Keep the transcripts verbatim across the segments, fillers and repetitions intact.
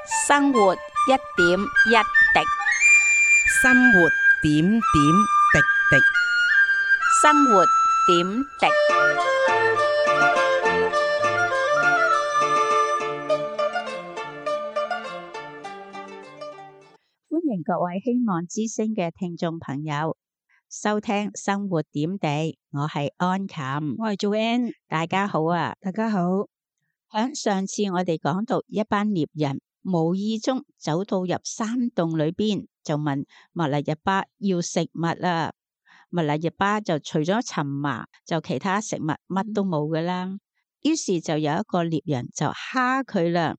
生活一點一滴，生活點點滴滴。生活點滴。歡迎各位希望之聲嘅聽眾朋友收聽生活點滴，我係安琴，我係做 N， 大家好啊！大家好。響上次我哋講到一班獵人無意中走到入山洞裏邊，就問密勒日巴要食物啦。密勒日巴就除咗尋麻，就其他食物乜都冇噶啦。於是就有一個獵人就蝦佢啦。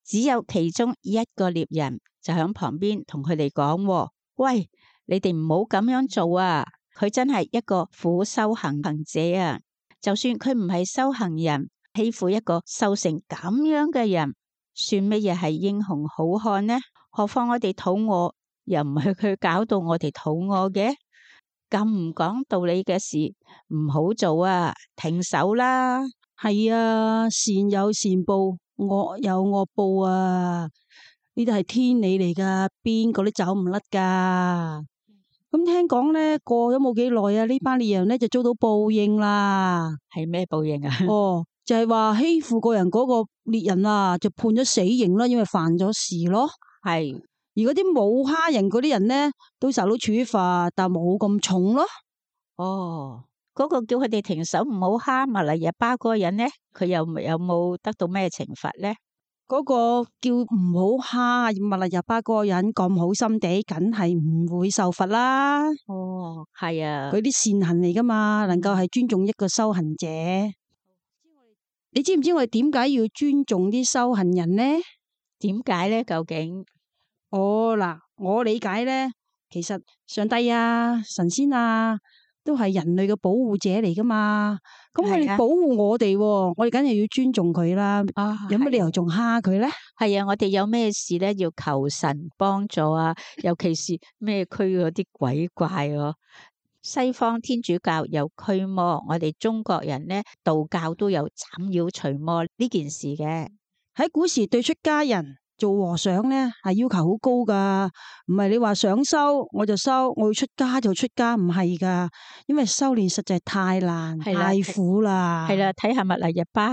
只有其中一個獵人就響旁邊同佢哋講：喂，你哋唔好咁樣做啊！佢真係一個苦修行行者啊！就算佢唔係修行人，欺負一個瘦成咁樣嘅人，算乜嘢係英雄好漢呢？何況我哋肚餓，又唔係佢搞到我哋肚餓嘅。咁唔講道理嘅事唔好做啊！停手啦！係啊，善有善報，惡有惡報啊！呢啲係天理嚟噶，邊個都走唔甩噶。咁聽講咧，過咗冇幾耐啊，呢班獵人咧就遭到報應啦。係咩報應啊？哦，就係話欺負個人嗰個獵人啊，就判咗死刑啦，因為犯咗事咯。係。而嗰啲冇蝦人嗰啲人咧，都受到處罰，但冇咁重咯。哦，嗰個叫佢哋停手唔好蝦密勒日巴嗰個人咧，佢有有冇得到咩懲罰咧？嗰個叫唔好蝦密勒日巴嗰個人咁好心地，梗係唔會受罰啦。哦，係啊，佢啲善行嚟噶嘛，能夠係尊重一個修行者。你知唔知我哋點解要尊重啲修行人呢？點解咧？究竟？哦，嗱，我理解咧，其實上帝啊、神仙啊，都係人類嘅保護者嚟噶嘛。咁佢哋保護我哋，我哋梗係要尊重佢啦。啊，有乜理由仲蝦佢咧？係啊，我哋有咩事咧要求神幫助啊？尤其是咩區嗰啲鬼怪哦、啊。西方天主教有驅魔，我哋中國人咧道教都有斬妖除魔呢件事嘅。喺古時對出家人做和尚咧係要求好高噶，唔係你話想修我就修，我要出家就出家，唔係噶，因為修煉實在太難太苦啦。係啦，睇下密勒日巴，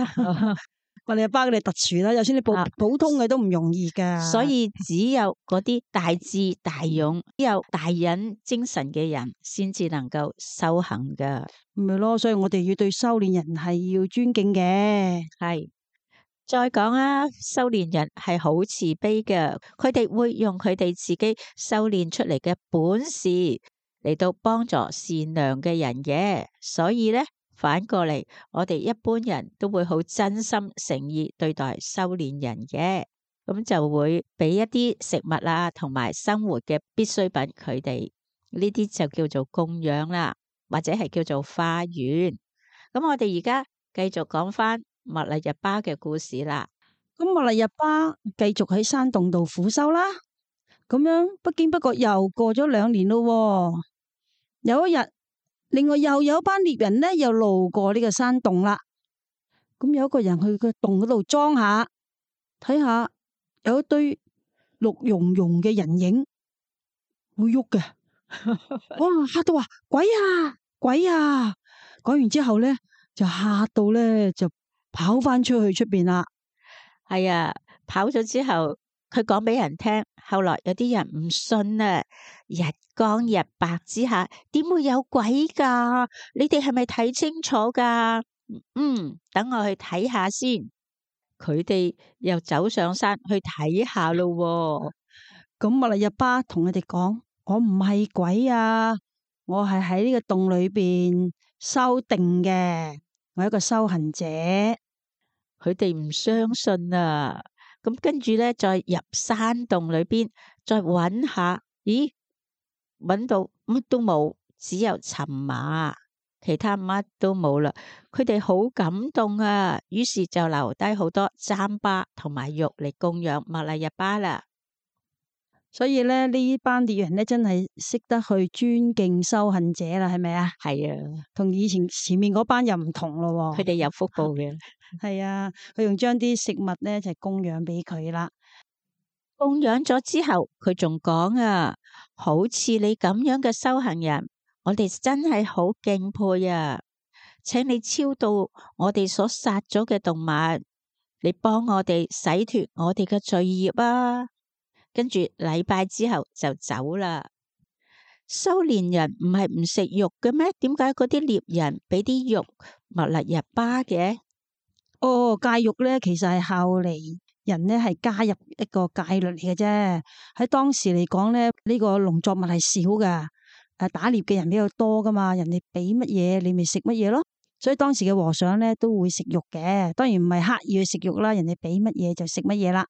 密勒日巴佢哋特殊啦，就算你普普通嘅都唔容易噶。所以只有嗰啲大智大勇、有大忍精神嘅人，先至能夠修行噶。咪咯，所以我哋要對修煉人係要尊敬嘅。係。再講啊，修煉人係好慈悲嘅，佢哋會用佢哋自己修煉出嚟嘅本事嚟到幫助善良嘅人嘅，所以咧反過嚟，我哋一般人都會好真心誠意對待修煉人嘅，咁就會俾一啲食物啊，同埋生活嘅必需品佢哋，呢啲就叫做供養啦，或者係叫做化緣。咁我哋而家繼續講翻密勒日巴嘅故事啦。咁密勒日巴繼續喺山洞度苦修啦。咁樣不經不覺又過咗兩年咯。有一日，另外又有班獵人呢，又路過呢個山洞啦。咁有一個人去個洞嗰度裝下，睇下有一堆綠茸茸嘅人影會喐嘅。哇！嚇到話鬼啊鬼啊！講完之後咧，就嚇到咧就跑翻出去出邊啦。係啊，跑咗之後，佢講俾人聽。後來有啲人唔信啊，日光日白之下，點會有鬼噶？你哋係咪睇清楚噶？嗯，等我去睇下先。佢哋又走上山去睇下咯。咁密勒日巴同佢哋講：我唔係鬼啊，我係喺呢個洞裏邊修定嘅，我係一個修行者。佢哋唔相信啊，咁跟住咧，再入山洞裏邊，再揾下，咦，揾到乜都冇，只有尋麻，其他乜都冇啦。佢哋好感動啊，於是就留低好多糌粑同埋肉嚟供養密勒日巴啦。所以咧，呢班獵人咧真係識得去尊敬修行者啦，係咪啊？係啊，同以前前面嗰班又唔同咯。佢哋有福報嘅。係啊，佢用將啲食物咧就供養俾佢啦。供養咗之後，佢仲講啊，好似你咁樣嘅修行人，我哋真係好敬佩啊！請你超度我哋所殺咗嘅動物，你幫我哋洗脫我哋嘅罪孽啊！跟住禮拜之後就走啦。修煉人唔係唔食肉嘅咩？點解嗰啲獵人俾啲肉密勒日巴嘅？哦，戒肉咧，其實係後嚟人咧係加入一個戒律嚟嘅啫。喺當時嚟講咧，呢個農作物係少噶，誒打獵嘅人比較多噶嘛，人哋俾乜嘢你咪食乜嘢咯。所以當時嘅和尚咧都會食肉嘅，當然唔係刻意去食肉啦，人哋俾乜嘢就食乜嘢啦。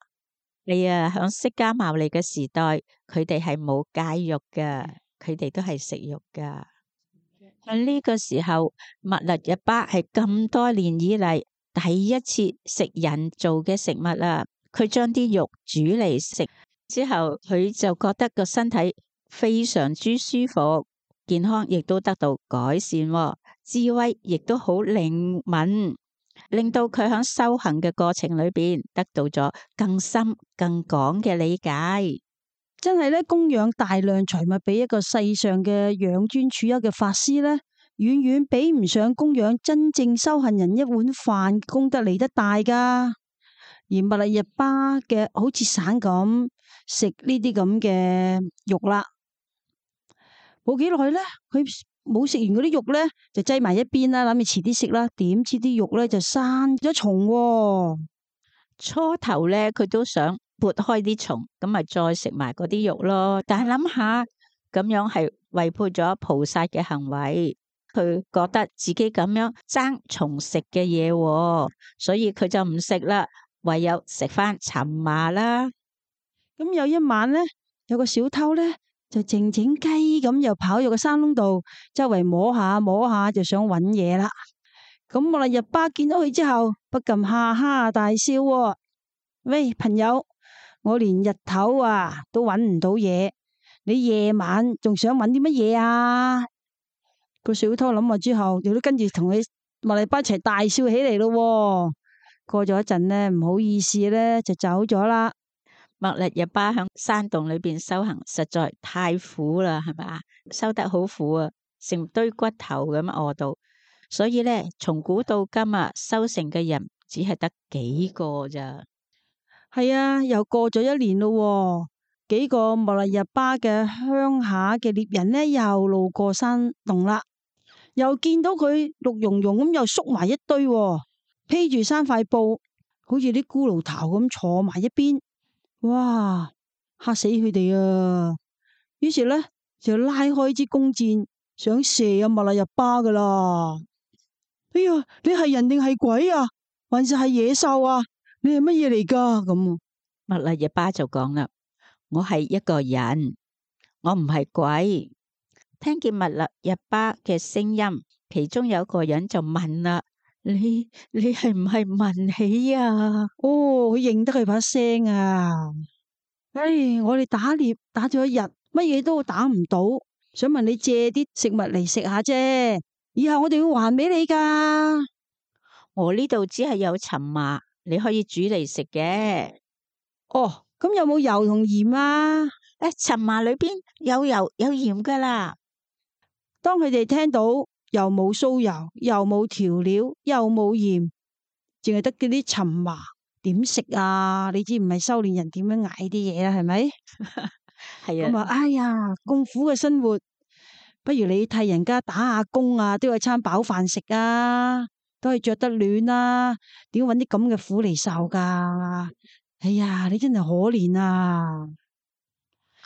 你啊，響釋迦牟尼嘅時代，佢哋係冇戒肉噶，佢哋都係食肉噶。喺呢個時候，密勒日巴係咁多年以嚟第一次食人造嘅食物啦。佢將啲肉煮嚟食之後，佢就覺得個身體非常之舒服，健康亦都得到改善，智慧亦都好靈敏，令到佢喺修行嘅過程裏邊得到咗更深更廣嘅理解。真係咧，供養大量財物俾一個世上嘅養尊處優嘅法師咧，遠遠比唔上供養真正修行人一碗飯功德嚟得大噶。而密勒日巴嘅好似散咁食呢啲咁嘅肉啦，冇幾耐咧，佢冇食完嗰啲肉咧，就擠埋一邊啦，諗住遲啲食啦。點知啲肉咧就生咗蟲喎。初頭咧，佢都想撥開啲蟲，咁咪再食埋嗰啲肉咯。但係諗下咁樣係違背咗菩薩嘅行為，佢覺得自己咁樣爭蟲食嘅嘢，所以佢就唔食啦，唯有食翻尋麻啦。咁有一晚咧，有個小偷咧就靜靜雞咁又跑入個山窿度，周圍摸下摸下就想搵嘢啦。咁密勒日巴見到佢之後，不禁哈哈大笑喎。喂，朋友，我連日頭啊都搵唔到嘢，你夜晚仲想搵啲乜嘢啊？個小偷諗下之後，亦都跟住同佢密勒日巴一齊大笑起嚟咯。過咗一陣呢，唔好意思咧，就走咗啦。密勒日巴響山洞裏邊修行實在太苦啦，係咪啊？修得好苦啊，成堆骨頭咁餓到。所以咧，從古到今啊，修成嘅人只係得幾個咋？係啊，又過咗一年咯，幾個密勒日巴嘅鄉下嘅獵人呢，又路過山洞啦，又見到佢綠茸茸咁，又縮埋一堆，披住三塊布，好似啲骷髏頭咁坐埋一邊，哇，嚇死佢哋啊！於是咧就拉開支弓箭，想射入密勒日巴噶啦。哎呀，你係人定係鬼啊？還是係野獸啊？你係乜嘢嚟噶？咁密勒日巴就講啦：我係一個人，我唔係鬼。聽見密勒日巴嘅聲音，其中有一個人就問啦：你你係唔係文喜啊？哦，佢認得佢把聲啊！唉，我哋打獵打咗一日，乜嘢都打唔到，想問你借啲食物嚟食下啫。以後我哋會還俾你噶。我呢度只係有尋麻，你可以煮嚟食嘅。哦，咁有冇油同鹽啊？誒，尋麻裏邊有油有鹽噶啦。當佢哋聽到又冇酥油，又冇調料，又冇鹽，淨係得嗰啲尋麻，點食啊？你知唔係修煉人點樣捱啲嘢啦？係咪？係啊。咁啊，哎呀，咁苦嘅生活。不如你替人家打下工啊，都有餐飽飯食啊，都係着得暖啊，點搵啲咁嘅苦嚟受噶？哎呀，你真係可憐啊！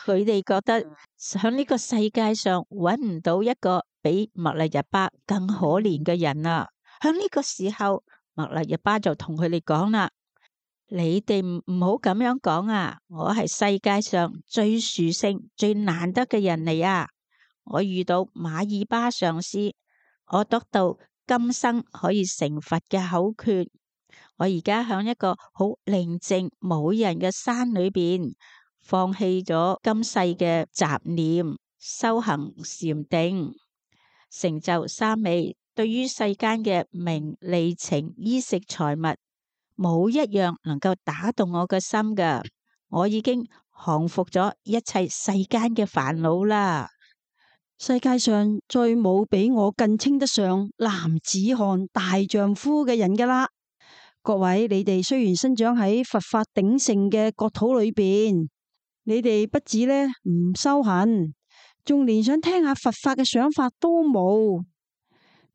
佢哋覺得喺呢個世界上搵唔到一個比密勒日巴更可憐嘅人啊！喺呢個時候，密勒日巴就同佢哋講啦：你哋唔唔好咁樣講啊！我係世界上最殊勝、最難得嘅人嚟啊！我遇到馬爾巴上師，我得到今生可以成佛嘅口訣。我而家響一個好寧靜冇人嘅山裏邊，放棄咗今世嘅雜念，修行禪定，成就三昧。對於世間嘅名利情衣食財物，冇一樣能夠打動我嘅心噶。我已經降服咗一切世間嘅煩惱啦。世界上再冇比我更稱得上男子漢大丈夫嘅人噶啦。各位，你哋雖然生長喺佛法鼎盛嘅國土裏邊，你哋不止呢唔修行，仲連想聽下佛法嘅想法都冇。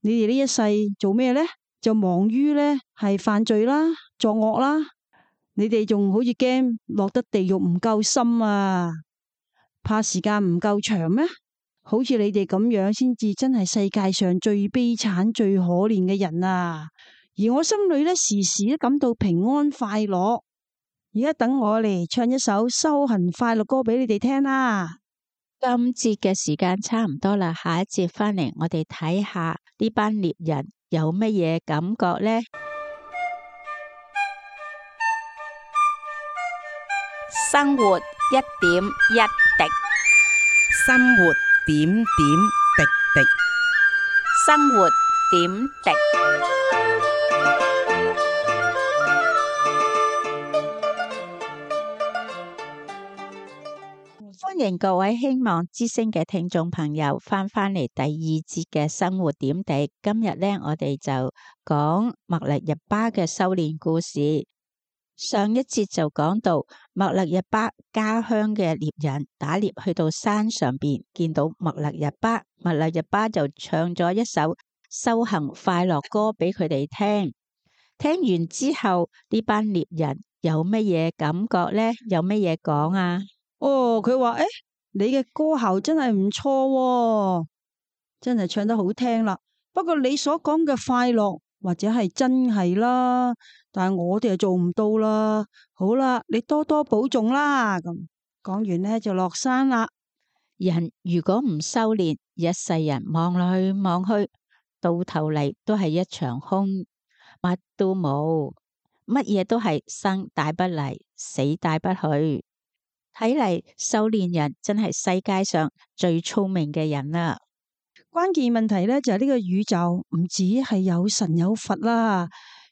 你哋呢一世做咩呢？就忙於呢係犯罪啦、作惡啦。你哋仲好似驚落得地獄唔夠深啊？怕時間唔夠長咩？好似你哋咁樣先至真係世界上最悲慘、最可憐嘅人啊！而我心裏呢，時時都感到平安快樂。而家等我嚟唱一首修行快樂歌俾你哋聽啦。今節嘅時間差唔多啦，下一節翻嚟我哋睇下呢班獵人有乜嘢感覺呢？生活一點一滴，生活點點滴滴，生活點滴。歡迎各位希望之聲嘅聽眾朋友翻返嚟第二節嘅生活點滴。今日呢，我哋就講默勒日巴嘅修煉故事。上一節就講到默勒日巴家鄉嘅獵人打獵去到山上邊，見到默勒日巴，默勒日巴就唱咗一首修行快樂歌俾佢哋聽。聽完之後，呢班獵人有乜嘢感覺呢？有乜嘢講啊？哦，佢話誒，你嘅歌喉真係唔錯喎，真係唱得好聽啦。不過你所講嘅快樂或者係真係啦，但係我哋就做唔到啦。好啦，你多多保重啦。咁講完呢就落山啦。人如果唔修煉，一世人望落去望去，到頭嚟都係一場空，乜都冇，乜嘢都係生帶不嚟，死帶不去。睇嚟修煉人真係世界上最聰明嘅人啦。關鍵問題咧就係呢個宇宙唔止係有神有佛啦，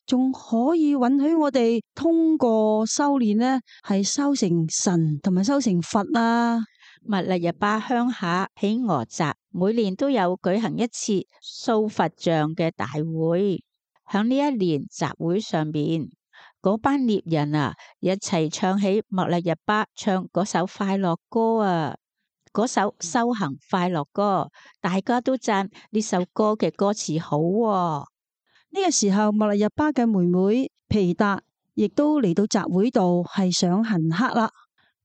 仲可以允許我哋通過修煉呢係修成神同埋修成佛啦。默勒日巴鄉下喺俄澤，每年都有舉行一次塑佛像嘅大會。響呢一年集會上邊，嗰班獵人啊，一齊唱起默勒日巴唱嗰首快樂歌啊，嗰首修行快樂歌，大家都讚呢首歌嘅歌詞好喎。呢個時候，默勒日巴嘅妹妹皮達亦都嚟到集會度，係想行乞啦。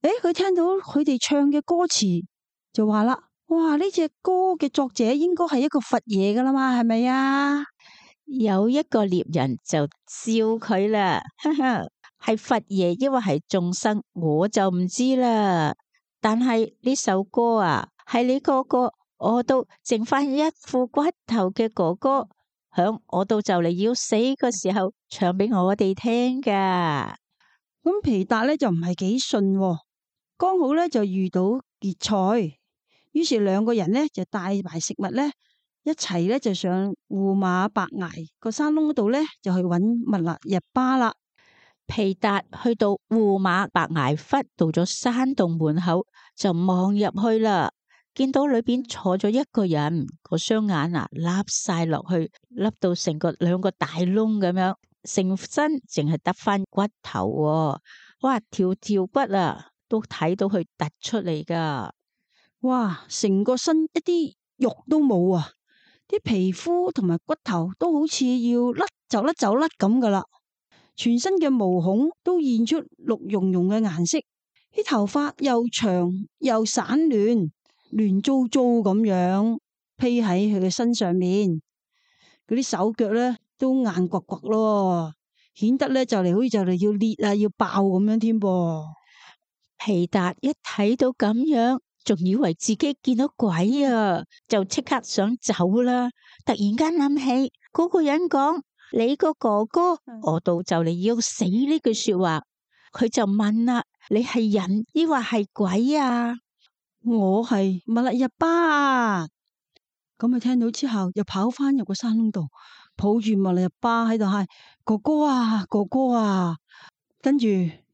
誒，佢聽到佢哋唱嘅歌詞，就話啦：哇，呢隻歌嘅作者應該係一個佛爺噶啦嘛，係咪啊？有一個獵人就笑佢啦，哈哈，係佛爺抑或係眾生，我就唔知啦。但係呢首歌啊，係你嗰個餓到剩翻一副骨頭嘅哥哥，響餓到就嚟要死嘅時候唱俾我哋聽噶。咁皮達咧就唔係幾信喎，剛好咧就遇到結菜，於是兩個人咧就帶埋食物咧。一齊咧就上胡馬白崖個山窿嗰度咧，就去揾默勒日巴啦。皮達去到胡馬白崖窟，到咗山洞門口就望入去啦，見到裏邊坐咗一個人，個雙眼啊凹晒落去，凹到成個兩個大窿咁樣，成身淨係得翻骨頭喎。哇，條條骨啊都睇到佢突出嚟噶，哇，成個身一啲肉都冇啊！啲皮膚同埋骨頭都好似要甩就甩就甩咁噶啦，全身嘅毛孔都現出綠茸茸嘅顏色，啲頭髮又長又散亂，亂糟糟咁樣披喺佢嘅身上面，嗰啲手腳咧都硬骨骨咯，顯得咧就嚟好似就嚟要裂啊要爆咁樣添噃。皮達一睇到咁樣，仲以為自己見到鬼啊，就即刻想走啦。突然間諗起嗰個人講你個哥哥餓到就嚟要死呢句說話，佢就問啦：你係人抑或係鬼啊？我係默勒日巴啊！咁佢聽到之後，又跑翻入個山窿度，抱住默勒日巴喺度嗌：哥哥啊，哥哥啊！跟住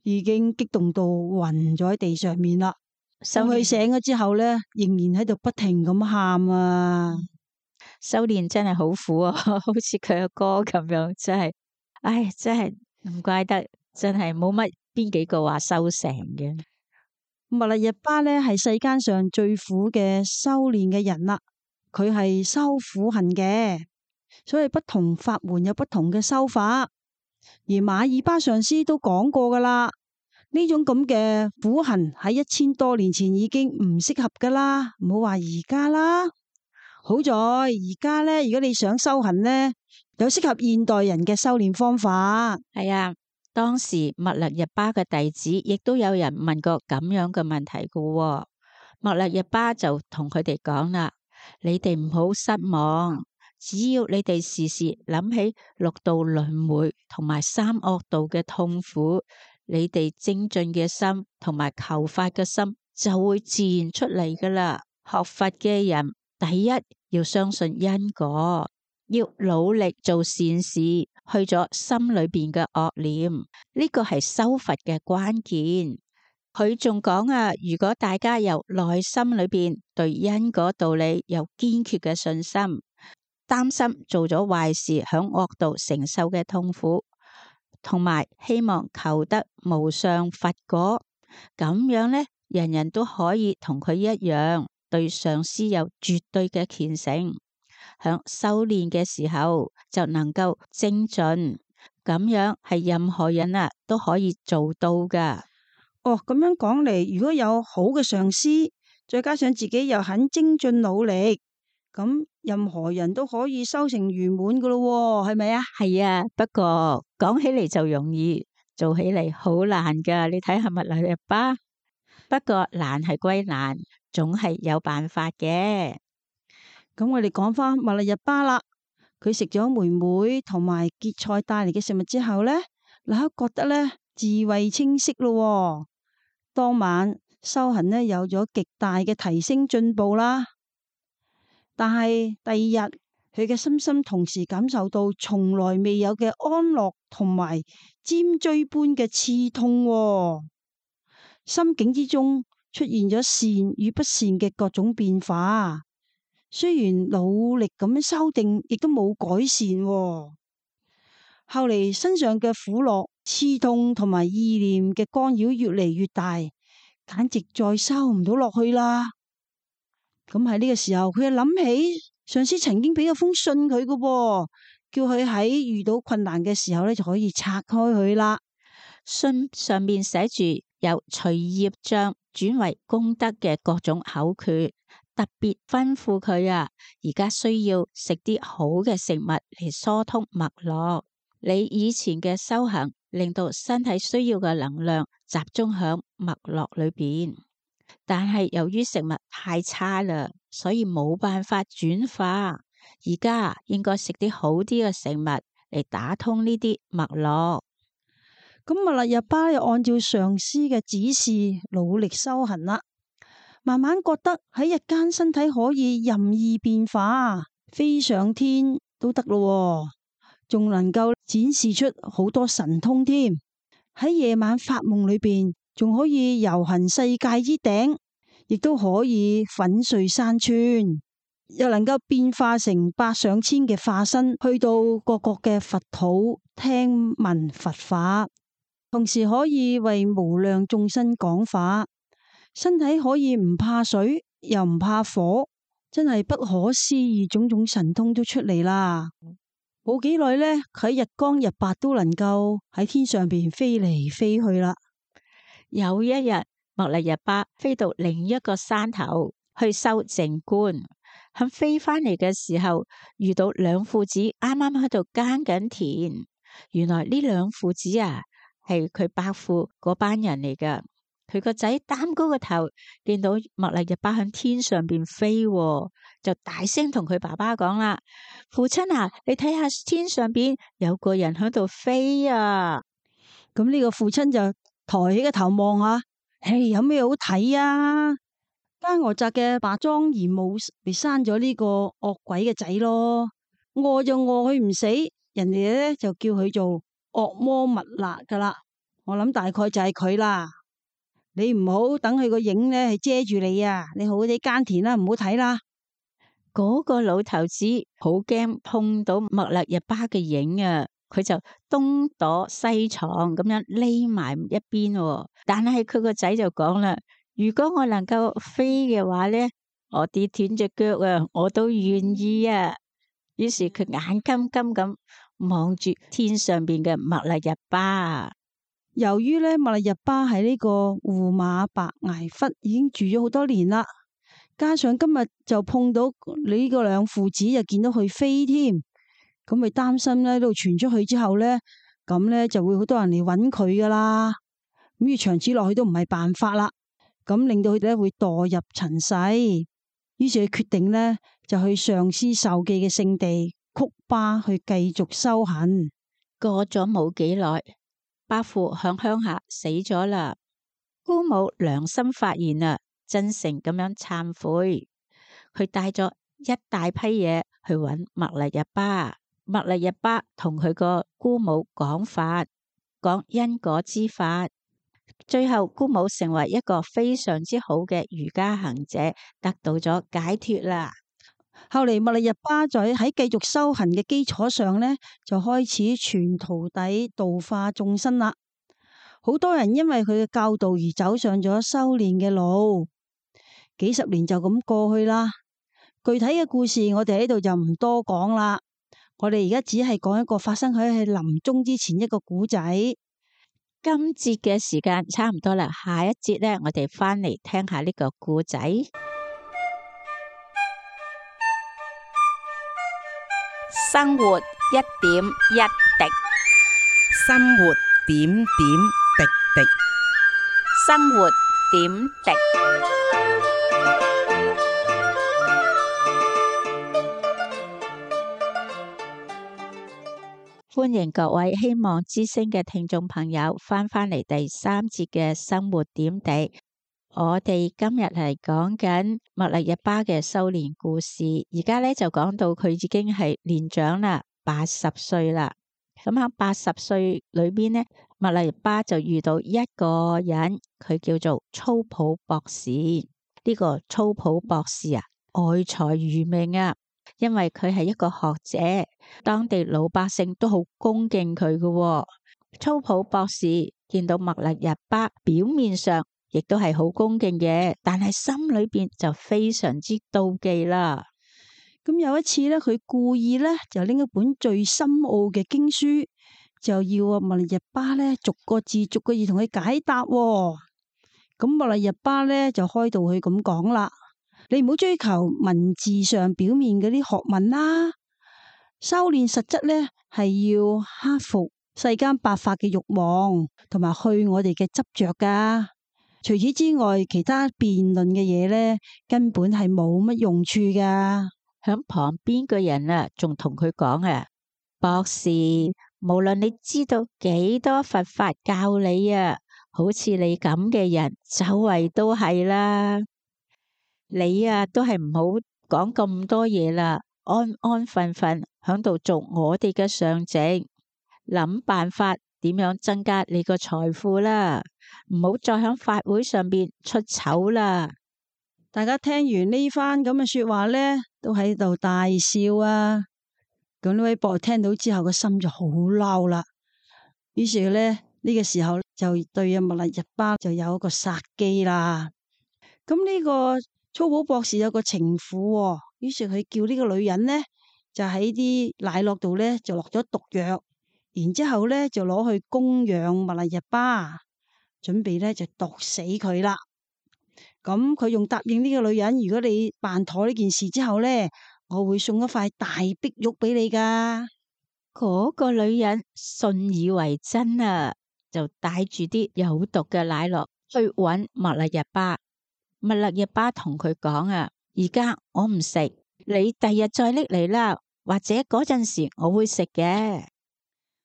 已經激動到暈咗喺地上面啦。修佢醒咗之後咧，仍然喺度不停咁喊啊！修煉真係好苦啊，好似佢嘅歌咁樣，真係，唉，真係唔怪得，真係冇乜邊幾個話修成嘅。密勒日巴咧係世間上最苦嘅修煉嘅人啦，佢係修苦行嘅，所以不同法門有不同嘅修法。而馬爾巴上師都講過噶啦。呢種咁嘅苦行喺一千多年前已經唔適合噶啦，唔好話而家啦。好在而家咧，如果你想修行咧，有適合現代人嘅修煉方法。係啊，當時密勒日巴嘅弟子亦都有人問過咁樣嘅問題噶喎。密勒日巴就同佢哋講啦：你哋唔好失望，只要你哋時時諗起六道輪迴同埋三惡道嘅痛苦，你哋精進嘅心同埋求法嘅心就會自然出嚟噶啦。學佛嘅人，第一要相信因果，要努力做善事，去咗心裏邊嘅惡念，呢個係修佛嘅關鍵。佢仲講啊，如果大家由內心裏邊對因果道理有堅決嘅信心，擔心做咗壞事響惡道承受嘅痛苦，同埋希望求得無上佛果，咁樣呢，人人都可以同佢一樣，對上師有絕對嘅虔誠，響修煉嘅時候就能夠精進，咁樣係任何人啊都可以做到噶。哦，咁樣講嚟，如果有好嘅上師，再加上自己又肯精進努力，咁任何人都可以修成圓滿噶咯，係咪啊？係啊，不過講起嚟就容易，做起嚟好難噶。你睇下密勒日巴，不過難係歸難，總係有辦法嘅。咁我哋講翻密勒日巴啦，佢食咗妹妹同埋結菜帶嚟嘅食物之後呢，立刻覺得呢智慧清晰咯。當晚修行呢有咗極大嘅提升進步啦。但係第二日，佢嘅身心同時感受到從來未有嘅安樂同埋尖錐般嘅刺痛，心境之中出現咗善與不善嘅各種變化。雖然努力咁樣修訂，亦都冇改善。後嚟身上嘅苦樂、刺痛同埋意念嘅干擾越嚟越大，簡直再收唔到落去啦。咁喺呢個時候，佢又諗起上司曾經俾咗封信佢嘅，叫佢喺遇到困難嘅時候咧就可以拆開佢啦。信上面寫住有隨業障轉為功德嘅各種口訣，特別吩咐佢啊，而家需要食啲好嘅食物嚟疏通脈絡。你以前嘅修行令到身體需要嘅能量集中響脈絡裏邊，但係由於食物太差啦，所以冇辦法轉化。而家應該食啲好啲嘅食物嚟打通呢啲脈絡。咁密勒日巴又按照上師嘅指示努力修行啦，慢慢覺得喺日間身體可以任意變化，飛上天都得咯，仲能夠展示出好多神通添。喺夜晚發夢裏邊，仲可以遊行世界之頂，亦都可以粉碎山川，又能夠變化成百上千嘅化身，去到各國嘅佛土聽聞佛法，同時可以為無量眾生講法。身體可以唔怕水，又唔怕火，真係不可思議，種種神通都出嚟啦。冇幾耐呢，佢喺日光日白都能夠喺天上邊飛嚟飛去啦。有一日，密勒日巴飛到另一個山頭去修靜觀，喺飛翻嚟嘅時候，遇到兩父子啱啱喺度耕緊田。原來呢兩父子啊，係佢伯父嗰班人嚟噶。佢個仔擔高個頭，見到密勒日巴喺天上邊飛，就大聲同佢爸爸講啦：父親啊，你睇下天上邊有個人喺度飛啊！咁呢個父親就抬起個頭望下，嘿，有咩好睇啊？奸鵝澤嘅白莊賢母咪生咗呢個惡鬼嘅仔咯，餓就餓佢唔死，人哋咧就叫佢做惡魔密勒噶啦。我諗大概就係佢啦。你唔好等佢個影呢係遮住你啊！你好啲耕田啦，唔好睇啦。嗰個老頭子好驚碰到麥勒日巴嘅影啊，佢就東躲西藏咁樣匿埋一邊喎。但係佢個仔就講啦：如果我能夠飛嘅話咧，我跌斷隻腳啊，我都願意啊。於是佢眼金金咁望住天上邊嘅麥勒日巴。由於咧麥勒日巴喺呢個胡馬白崖窟已經住咗好多年啦。加上今日就碰到你呢個兩父子，又見到佢飛添，咁咪擔心咧，都傳出去之後咧，咁咧就會好多人嚟揾佢噶啦。咁要長此落去都唔係辦法啦，咁令到佢哋咧會墮入塵世。於是佢決定咧就去上師授記嘅聖地曲巴去繼續修行。過咗冇幾耐，伯父響鄉下死咗啦，姑母良心發現啊，真誠咁樣懺悔，佢帶咗一大批嘢去揾麥勒日巴。麥勒日巴同佢個姑母講法，講因果之法。最後姑母成為一個非常之好嘅瑜伽行者，得到咗解脫啦。後嚟麥勒日巴在喺繼續修行嘅基礎上呢，就開始傳徒弟度化眾生啦。好多人因為佢嘅教導而走上咗修煉嘅路。幾十年就咁過去啦，具體嘅故事我哋喺度就唔多講啦。我哋而家只係講一個發生喺佢臨終之前一個古仔。今節嘅時間差唔多啦，下一節呢，我哋翻嚟聽下呢個故仔。生活一點一滴，生活點點滴滴，生活點滴。歡迎各位希望之聲嘅聽眾朋友翻返嚟第三節嘅生活點滴。我哋今日係講緊麥勒日巴嘅修煉故事，而家咧就講到佢已經係年長啦，八十歲啦。咁喺八十歲裏邊呢，麥勒日巴就遇到一個人，佢叫做粗普博士。呢、這個粗普博士啊，愛才如命啊，因為佢係一個學者，當地老百姓都好恭敬佢嘅、哦。粗普博士見到麥勒日巴，表面上亦都係好恭敬嘅，但係心裏邊就非常之妒忌啦。咁有一次咧，佢故意咧就拎一本最深奧嘅經書，就要啊麥勒日巴咧逐個字逐個字同佢解答、哦。咁麥勒日巴咧就開導佢咁講啦：你唔好追求文字上表面嗰啲學問啦，修煉實質咧係要克服世間百法嘅慾望，同埋去我哋嘅執着噶。除此之外，其他辯論嘅嘢咧，根本係冇乜用處噶。響旁邊嘅人啊，仲同佢講啊，博士，無論你知道幾多佛法教你啊，好似你咁嘅人，周圍都係啦。你啊，都係唔好講咁多嘢啦，安安分分響度做我哋嘅上席，諗辦法點樣增加你個財富啦。唔好再響法會上邊出醜啦！大家聽完呢番咁嘅說話咧，都喺度大笑啊！咁呢位博士聽到之後，個心就好嬲啦。於是咧呢、呢個時候就對阿麥勒日巴就有一個殺機啦。咁呢個粗普博士有個情婦、哦，於是佢叫呢個女人呢，就喺啲奶酪度咧就落咗毒藥，然之後咧就攞去供養麥勒日巴。準備咧就毒死佢啦。咁佢仲答應呢個女人，如果你辦妥呢件事之後咧，我會送一塊大碧玉俾你噶。嗰個女人信以為真啊，就帶住啲有毒嘅奶酪去搵麥勒日巴。麥勒日巴同佢講啊，而家我唔食，你第日再拎嚟啦，或者嗰陣時我會食嘅。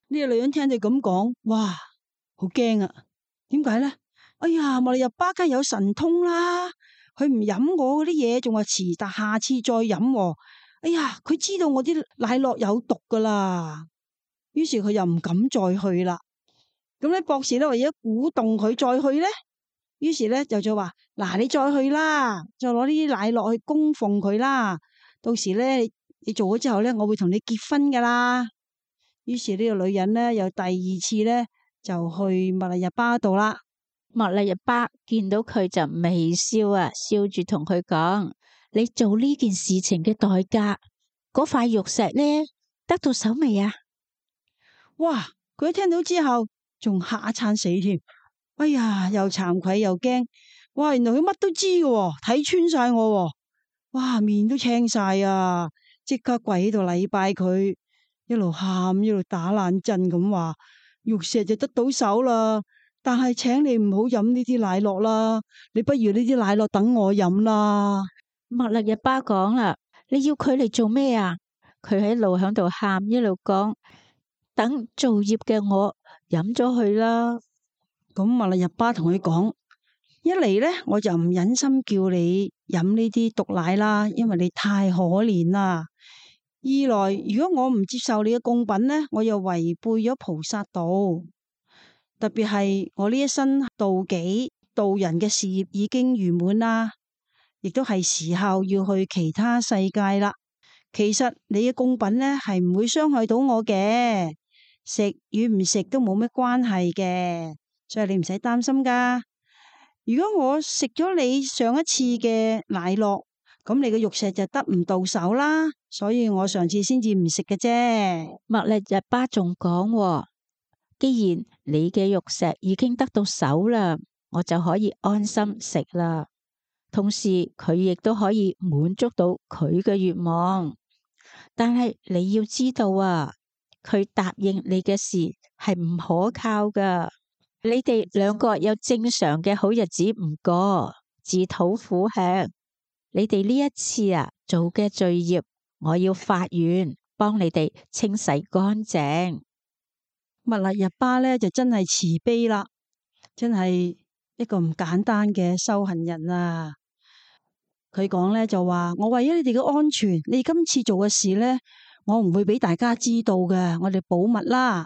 呢個女人聽你咁講，哇，好驚啊！點解咧？哎呀，麥勒日巴梗係有神通啦，佢唔飲我嗰啲嘢，仲話遲，但下次再飲、哦。哎呀，佢知道我啲奶酪有毒噶啦，於是佢又唔敢再去啦。咁咧，博士咧為咗鼓動佢再去咧，於是咧就就話：嗱，你再去啦，再攞呢啲奶酪去供奉佢啦。到時咧，你做咗之後咧，我會同你結婚噶啦。於是呢個女人咧，又第二次咧就去密勒日巴度啦。密勒日巴見到佢就微笑啊，笑住同佢講：你做呢件事情嘅代價，嗰塊玉石呢，得到手未啊？哇！佢一聽到之後，仲嚇一餐死添。哎呀，又慚愧又驚。哇！原來佢乜都知嘅，睇穿晒我。哇！面都青晒啊！即刻跪喺度禮拜佢，一路喊一路打冷震咁話：玉石就得到手啦，但係請你唔好飲呢啲奶酪啦，你不如呢啲奶酪等我飲啦。密勒日巴講啦：你要佢嚟做咩啊？佢喺路響度喊，一路講：等造業嘅我飲咗佢啦。咁密勒日巴同佢講：一嚟咧，我就唔忍心叫你飲呢啲毒奶啦，因為你太可憐啦。二來，如果我唔接受你嘅供品咧，我又違背咗菩薩道。特別係我呢一生度己度人嘅事業已經圓滿啦，亦都係時候要去其他世界啦。其實你嘅供品咧係唔會傷害到我嘅，食與唔食都冇咩關係嘅，所以你唔使擔心噶。如果我食咗你上一次嘅奶酪，咁你嘅玉石就得唔到手啦，所以我上次先至唔食嘅啫。密勒日巴仲講：既然你嘅玉石已經得到手啦，我就可以安心食啦。同時佢亦都可以滿足到佢嘅願望。但係你要知道啊，佢答應你嘅事係唔可靠噶。你哋兩個有正常嘅好日子唔過，自討苦吃。你哋呢一次啊做嘅罪業，我要發願幫你哋清洗乾淨。密勒日巴咧就真係慈悲啦，真係一個唔簡單嘅修行人啊！佢講咧就話：我為咗你哋嘅安全，你今次做嘅事咧，我唔會俾大家知道嘅，我哋保密啦。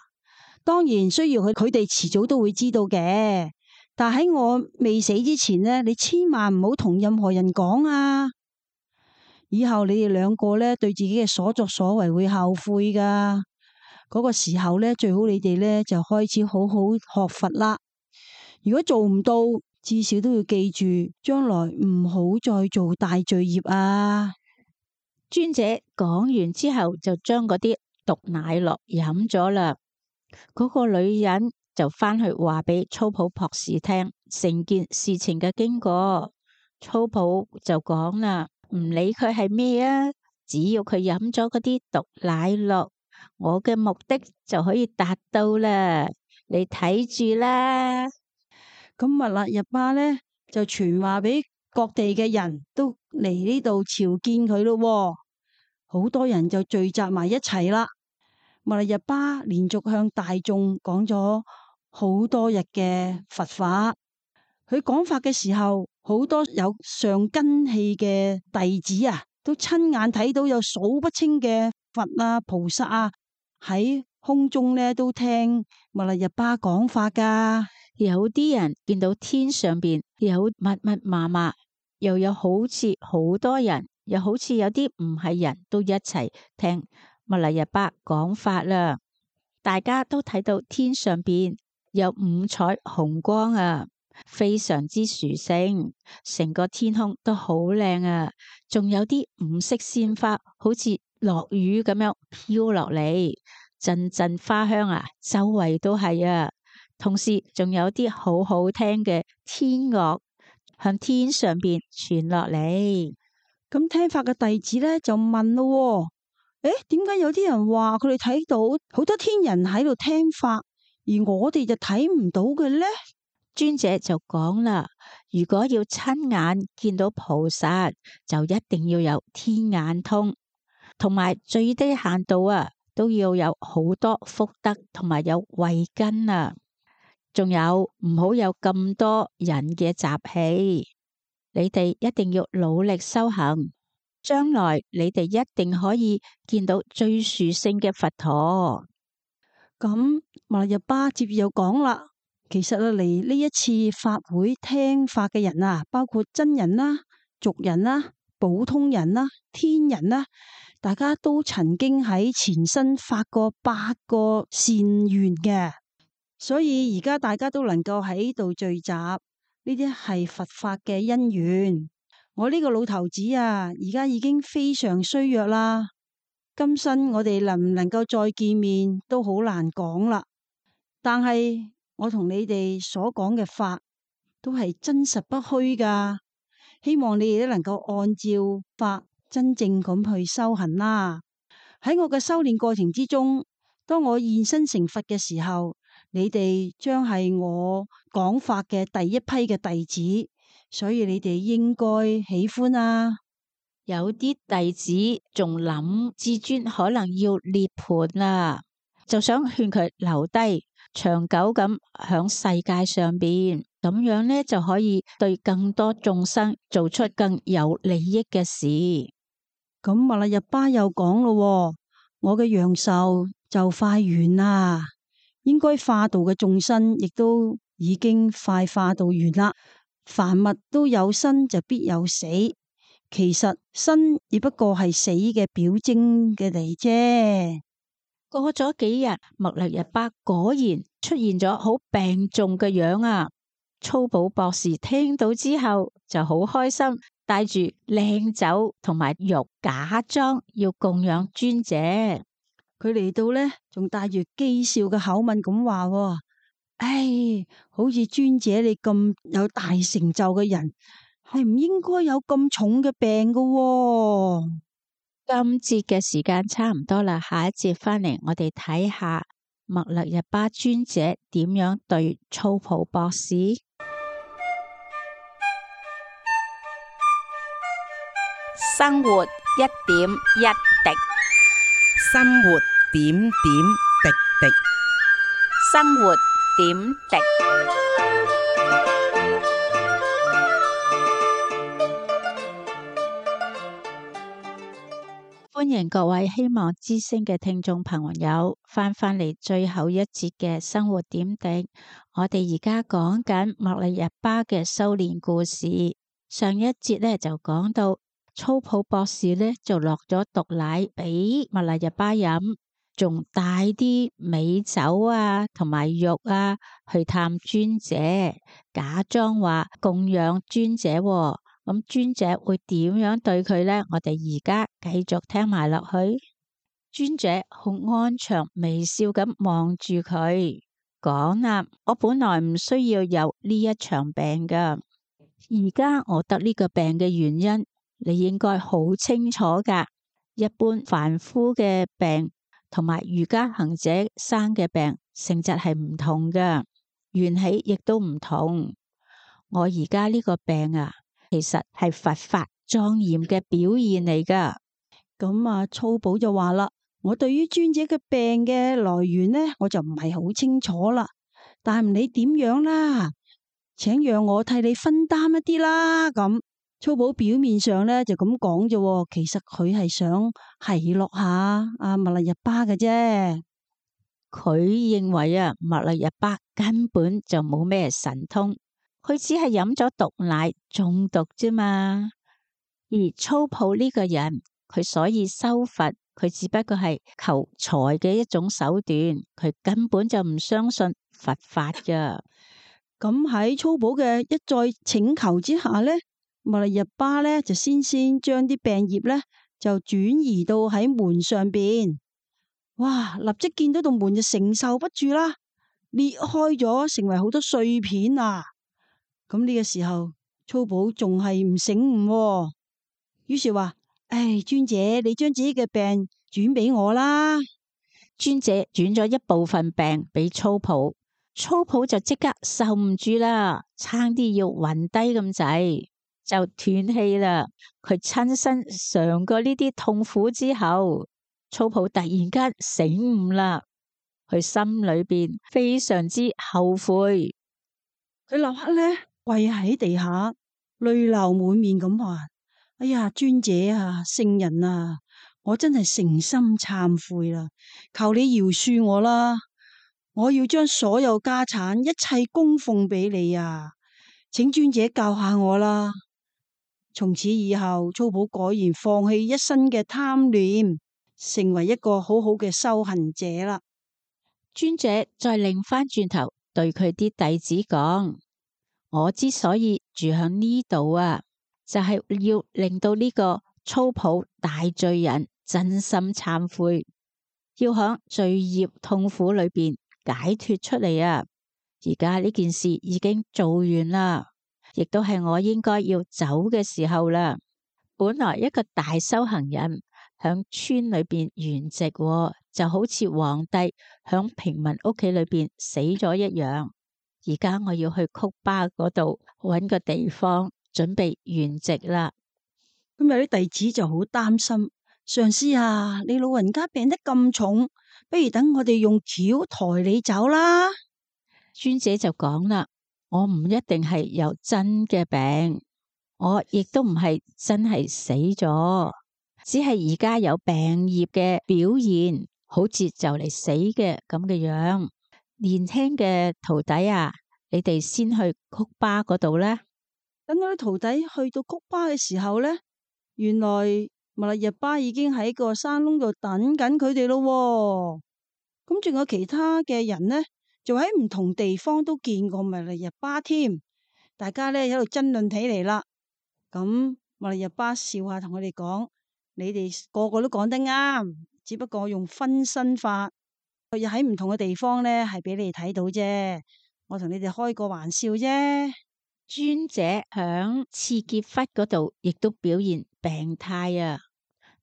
當然需要佢，佢哋遲早都會知道嘅。但喺我未死之前咧，你千萬唔好同任何人講啊！以後你哋兩個咧對自己嘅所作所為會後悔噶。嗰個時候咧，最好你哋咧就開始好好學佛啦。如果做唔到，至少都要記住，將來唔好再做大罪業啊！尊者講完之後，就將嗰啲毒奶酪飲咗啦。嗰個女人就翻去話俾粗普博士聽成件事情嘅經過。粗普就講啦：唔理佢係咩啊，只要佢飲咗嗰啲毒奶酪，我嘅目的就可以達到啦。你睇住啦。咁密勒日巴咧就傳話俾各地嘅人都嚟呢度朝見佢咯。好多人就聚集埋一齊啦。密勒日巴連續向大眾講咗好多日嘅佛法。佢講法嘅時候，好多有上根器嘅弟子啊，都親眼睇到有數不清嘅佛啊、菩薩啊喺空中咧都聽密勒日巴講法噶。有啲人見到天上邊有密密麻麻，又有好似好多人，又好似有啲唔係人都一齊聽密勒日巴講法啦。大家都睇到天上邊有五彩虹光啊，非常之殊勝，成個天空都好靚啊，仲有啲五色鮮花，好似落雨咁樣飄落嚟，陣陣花香啊，周圍都係啊。同時仲有啲好好聽嘅天樂向天上邊傳落嚟。咁聽法嘅弟子咧就問咯：誒，點解有啲人話佢哋睇到好多天人喺度聽法，而我哋就睇唔到嘅咧？尊者就講啦：如果要親眼見到菩薩，就一定要有天眼通，同埋最低限度啊，都要有好多福德同埋有慧根啊。仲有唔好有咁多人嘅習氣，你哋一定要努力修行，將來你哋一定可以見到最殊勝嘅佛陀。咁密勒日巴接住又講啦，其實啊嚟呢一次法會聽法嘅人啊，包括真人啦、俗人啦、普通人啦、天人啦，大家都曾經喺前生發過八個善願嘅，所以而家大家都能夠喺度聚集，呢啲係佛法嘅因緣。我呢個老頭子啊，而家已經非常衰弱啦。今生我哋能唔能夠再見面都好難講啦。但係我同你哋所講嘅法都係真實不虛噶，希望你哋都能夠按照法真正咁去修行啦。喺我嘅修煉過程之中，當我現身成佛嘅時候，你哋將係我講法嘅第一批嘅弟子，所以你哋應該喜歡啊。有啲弟子仲諗至尊可能要涅槃啦，就想勸佢留低，長久咁響世界上邊，咁樣呢就可以對更多眾生做出更有利益嘅事。咁密勒日巴又講咯，我嘅陽壽就快完啦，應該化度嘅眾生亦都已經快化度完啦。凡物都有生就必有死。其實生亦不過係死嘅表徵嘅嚟啫。過咗幾日，密勒日巴果然出現咗好病重嘅樣啊！粗寶博士聽到之後就好開心，帶住靚酒同埋肉假裝要供養尊者。佢嚟到呢，仲帶住譏笑嘅口吻咁話：唉，好似尊者你咁有大成就嘅人，係唔應該有咁重嘅病㗎喎。今節嘅時間差唔多啦，下一節翻嚟我哋睇下密勒日巴尊者點樣對粗寶博士。生活一點一滴，生活點點滴滴，生活點滴。歡迎各位希望之聲嘅聽眾朋友翻返嚟最後一節嘅生活點滴。我哋而家講緊密勒日巴嘅修煉故事。上一節咧就講到粗寶博士咧就落咗毒奶俾密勒日巴飲，仲帶啲美酒啊同埋肉啊去探尊者，假裝話供養尊者喎。咁尊者會點樣對佢呢？我哋而家繼續聽埋落去。尊者好安詳微笑咁望住佢，講啦：我本來唔需要有呢一場病噶，而家我得呢個病嘅原因，你應該好清楚噶。一般凡夫嘅病同埋瑜伽行者生嘅病性質係唔同噶，緣起亦都唔同。我而家呢個病啊，其實係佛法莊嚴嘅表現嚟噶。咁啊，粗寶就話啦：我對於尊者嘅病嘅來源呢，我就唔係好清楚啦。但係唔理點樣啦，請讓我替你分擔一啲啦。咁粗寶表面上呢就咁講啫，其實佢係想奚落下阿密勒日巴嘅啫。佢認為啊，密勒日巴根本就冇咩神通。佢只係飲咗毒奶中毒啫嘛，而粗寶呢個人，佢所以修佛，佢只不過係求財嘅一種手段，佢根本就唔相信佛法噶。咁喺粗寶嘅一再請求之下呢，密勒日巴呢就先先將啲病葉呢就轉移到喺門上邊。哇！立即見到道門就承受不住啦，裂開咗，成為好多碎片啊！咁呢個時候，粗寶仲係唔醒悟喎，於是話：唉，尊者，你將自己嘅病轉俾我啦。尊者轉咗一部分病俾粗寶，粗寶就即刻受唔住啦，差啲要暈低咁滯，就斷氣啦。佢親身嘗過呢啲痛苦之後，粗寶突然間醒悟啦，佢心裏邊非常之後悔，佢立刻呢。跪喺地下，淚流滿面咁話：哎呀，尊者啊，聖人啊，我真係誠心懺悔啦，求你饒恕我啦！我要將所有家產一切供奉俾你啊！請尊者教下我啦。從此以後，粗寶果然放棄一身嘅貪念，成為一個好好嘅修行者啦。尊者再擰翻轉頭對佢啲弟子講：我之所以住響呢度啊，就係要令到呢個粗寶大罪人真心懺悔，要響罪業痛苦裏邊解脫出嚟啊！而家呢件事已經做完啦，亦都係我應該要走嘅時候啦。本來一個大修行人響村裏邊圓寂，就好似皇帝響平民屋企裏邊死咗一樣。而家我要去曲巴嗰度搵個地方準備圓寂啦。咁有啲弟子就好擔心，上師啊，你老人家病得咁重，不如等我哋用轎抬你走啦。尊者就講啦：我唔一定係有真嘅病，我亦都唔係真係死咗，只係而家有病業嘅表現，好似就嚟死嘅咁嘅樣。年輕嘅徒弟啊，你哋先去曲巴嗰度啦。等我啲徒弟去到曲巴嘅時候呢，原來密勒日巴已經喺個山窿度等緊佢哋咯。咁仲有其他嘅人呢，就喺唔同地方都見過密勒日巴添。大家呢喺度爭論起嚟啦。咁密勒日巴笑下同佢哋講：你哋個個都講得啱，只不過用分身法，又喺唔同嘅地方呢係俾你哋睇到啫。我同你哋開個玩笑啫。尊者響次傑窟嗰度亦都表現病態啊，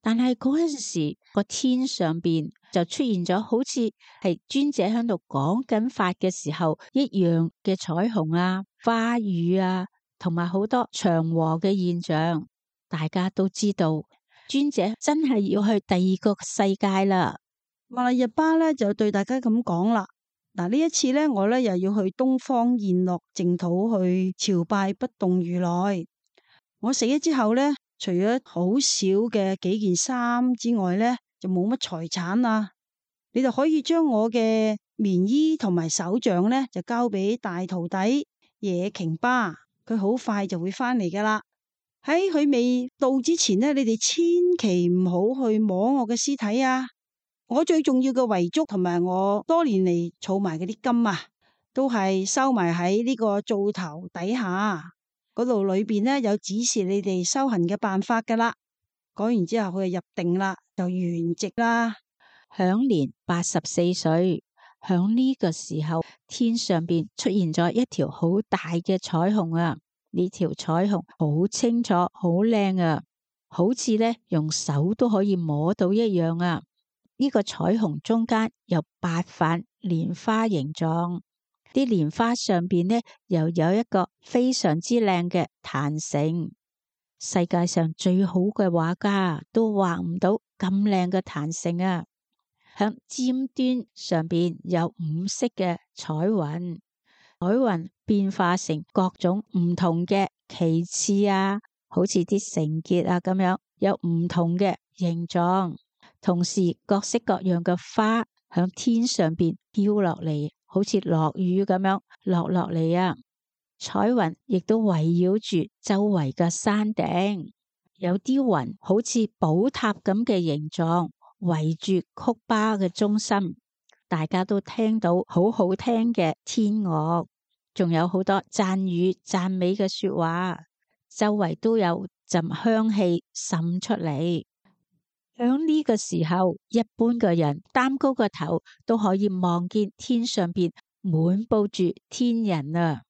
但係嗰陣時個天上邊就出現咗好似係尊者喺度講緊法嘅時候一樣嘅彩虹啊、花雨啊，同埋好多祥和嘅現象。大家都知道尊者真係要去第二個世界啦。密勒日巴咧就對大家咁講啦。嗱，呢一次咧，我咧又要去東方宴樂淨土去朝拜不動如來。我死咗之後咧，除咗好少嘅幾件衫之外咧，就冇乜財產啦。你就可以將我嘅棉衣同埋手杖咧，就交俾大徒弟野瓊巴，佢好快就會翻嚟噶啦。喺佢未到之前咧，你哋千祈唔好去摸我嘅屍體啊！我最重要嘅遺囑同埋我多年嚟儲埋嗰啲金啊，都係收埋喺呢個灶頭底下嗰度，裏邊呢有指示你哋修行嘅辦法噶啦。講完之後佢就入定啦，就圓寂啦，享年八十四歲。響呢個時候，天上邊出現咗一條好大嘅彩虹啊！呢條彩虹好清楚、好靚啊，好似咧用手都可以摸到一樣啊！呢個彩虹中間有八瓣蓮花形狀，啲蓮花上邊呢又有一個非常之靚嘅壇城。世界上最好嘅畫家都畫唔到咁靚嘅壇城啊！響尖端上邊有五色嘅彩雲，彩雲變化成各種唔同嘅旗幟啊，好似啲繩結啊咁樣，有唔同嘅形狀。同時各式各樣嘅花響天上邊飄落嚟，好似落雨咁樣落落嚟啊！彩雲亦都圍繞住周圍嘅山頂，有啲雲好似寶塔咁嘅形狀，圍住曲巴嘅中心。大家都聽到好好聽嘅天樂，仲有好多讚語讚美嘅說話，周圍都有陣香氣滲出嚟。響呢個時候，一般嘅人擔高個頭都可以望見天上邊滿布住天人啊。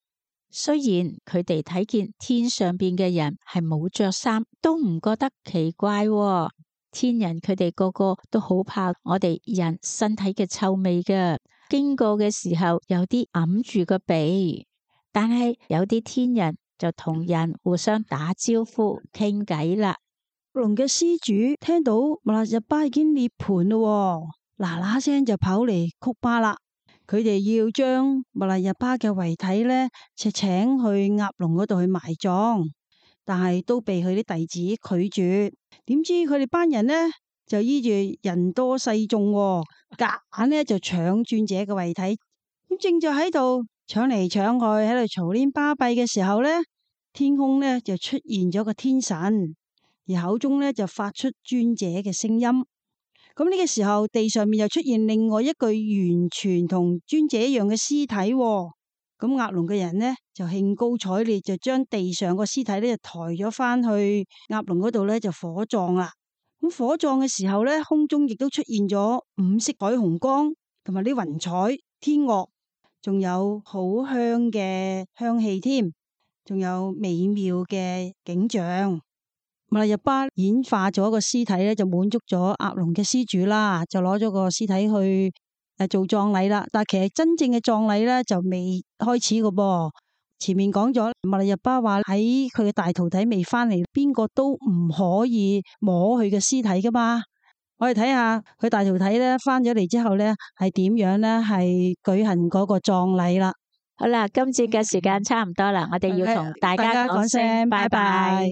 雖然佢哋睇見天上邊嘅人係冇着衫，都唔覺得奇怪喎。天人佢哋個個都好怕我哋人身體嘅臭味㗎，經過嘅時候有啲揞住個鼻，但係有啲天人就同人互相打招呼傾偈啦。龍嘅施主聽到密勒日巴已經涅槃咯，嗱嗱聲就跑嚟曲巴啦。佢哋要將密勒日巴嘅遺體呢，就請去鴨籠嗰度去埋葬，但係都被佢啲弟子拒絕。點知佢哋班人呢，就依住人多勢眾，夾硬呢就搶尊者嘅遺體咁正就喺度搶嚟搶去，喺度嘈喧巴閉嘅時候咧，天空咧就出現咗個天神，而口中咧就發出尊者嘅聲音。咁呢個時候，地上面又出現另外一具完全同尊者一樣嘅屍體。咁鴨籠嘅人呢，就興高采烈，就將地上個屍體咧就抬咗翻去鴨籠嗰度咧就火葬啦。咁火葬嘅時候咧，空中亦都出現咗五色彩虹光，同埋啲雲彩、天樂，仲有好香嘅香氣添，仲有美妙嘅景象。密勒日巴演化咗個屍體咧，就滿足咗鴨籠嘅施主啦，就攞咗個屍體去誒做葬禮啦。但係其實真正嘅葬禮咧就未開始㗎噃。前面講咗，密勒日巴話喺佢嘅大徒弟未翻嚟，邊個都唔可以摸佢嘅屍體噶嘛。我哋睇下佢大徒弟咧翻咗嚟之後咧係點樣咧，係舉行嗰個葬禮啦。好啦，今次嘅時間差唔多啦，我哋要同大家講聲拜拜。